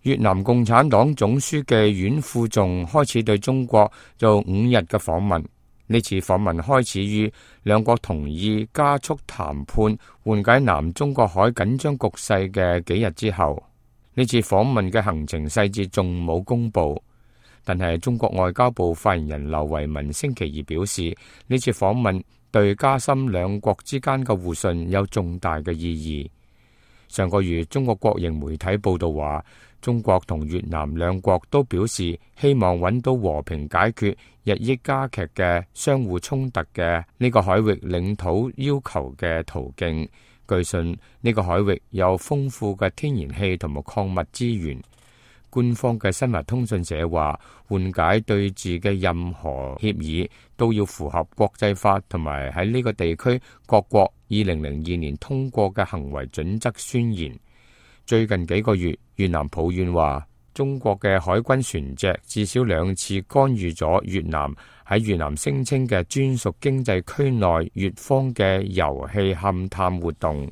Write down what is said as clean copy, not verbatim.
越南共產黨總書記阮富仲開始對中國做5日嘅訪問。呢次訪問開始於兩國同意加速談判緩解南中國海緊張局勢嘅幾日之後。呢次訪問嘅行程細節仲冇公布，但係中國外交部發言人劉維文星期二表示，呢次訪問對加深兩國之間嘅互信有重大嘅意義。上個月，中國國營媒體報道話，中國同越南兩國都表示希望揾到和平解決日益加劇嘅相互衝突嘅呢個海域領土要求嘅途徑。據信呢個海域有豐富嘅天然氣同埋礦物資源。官方嘅新華通訊社話，緩解對峙嘅任何協議都要符合國際法同埋喺呢個地區各國2002年通過嘅行為準則宣言。最近幾個月，越南抱怨話，中國嘅海軍船隻至少2次干預咗越南喺越南聲稱嘅專屬經濟區內越方嘅油氣勘探活動。